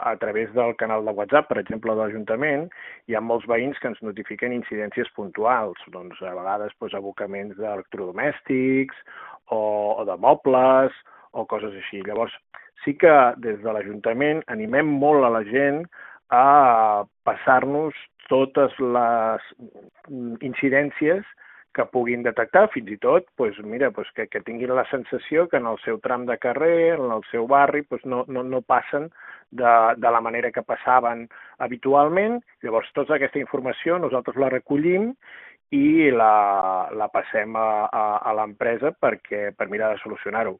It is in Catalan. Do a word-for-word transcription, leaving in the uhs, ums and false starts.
a través del canal de WhatsApp, per exemple, de l'Ajuntament, hi ha molts veïns que ens notifiquen incidències puntuals, doncs a vegades doncs, abocaments d'electrodomèstics o, o de mobles o coses així. Llavors, sí que des de l'Ajuntament animem molt a la gent a passar-nos totes les incidències que puguin detectar, fins i tot doncs, mira, doncs, que, que tinguin la sensació que en el seu tram de carrer, en el seu barri, doncs, no, no, no passen de, de la manera que passaven habitualment. Llavors, tota aquesta informació nosaltres la recollim i la, la passem a, a, a l'empresa perquè per mirar de solucionar-ho.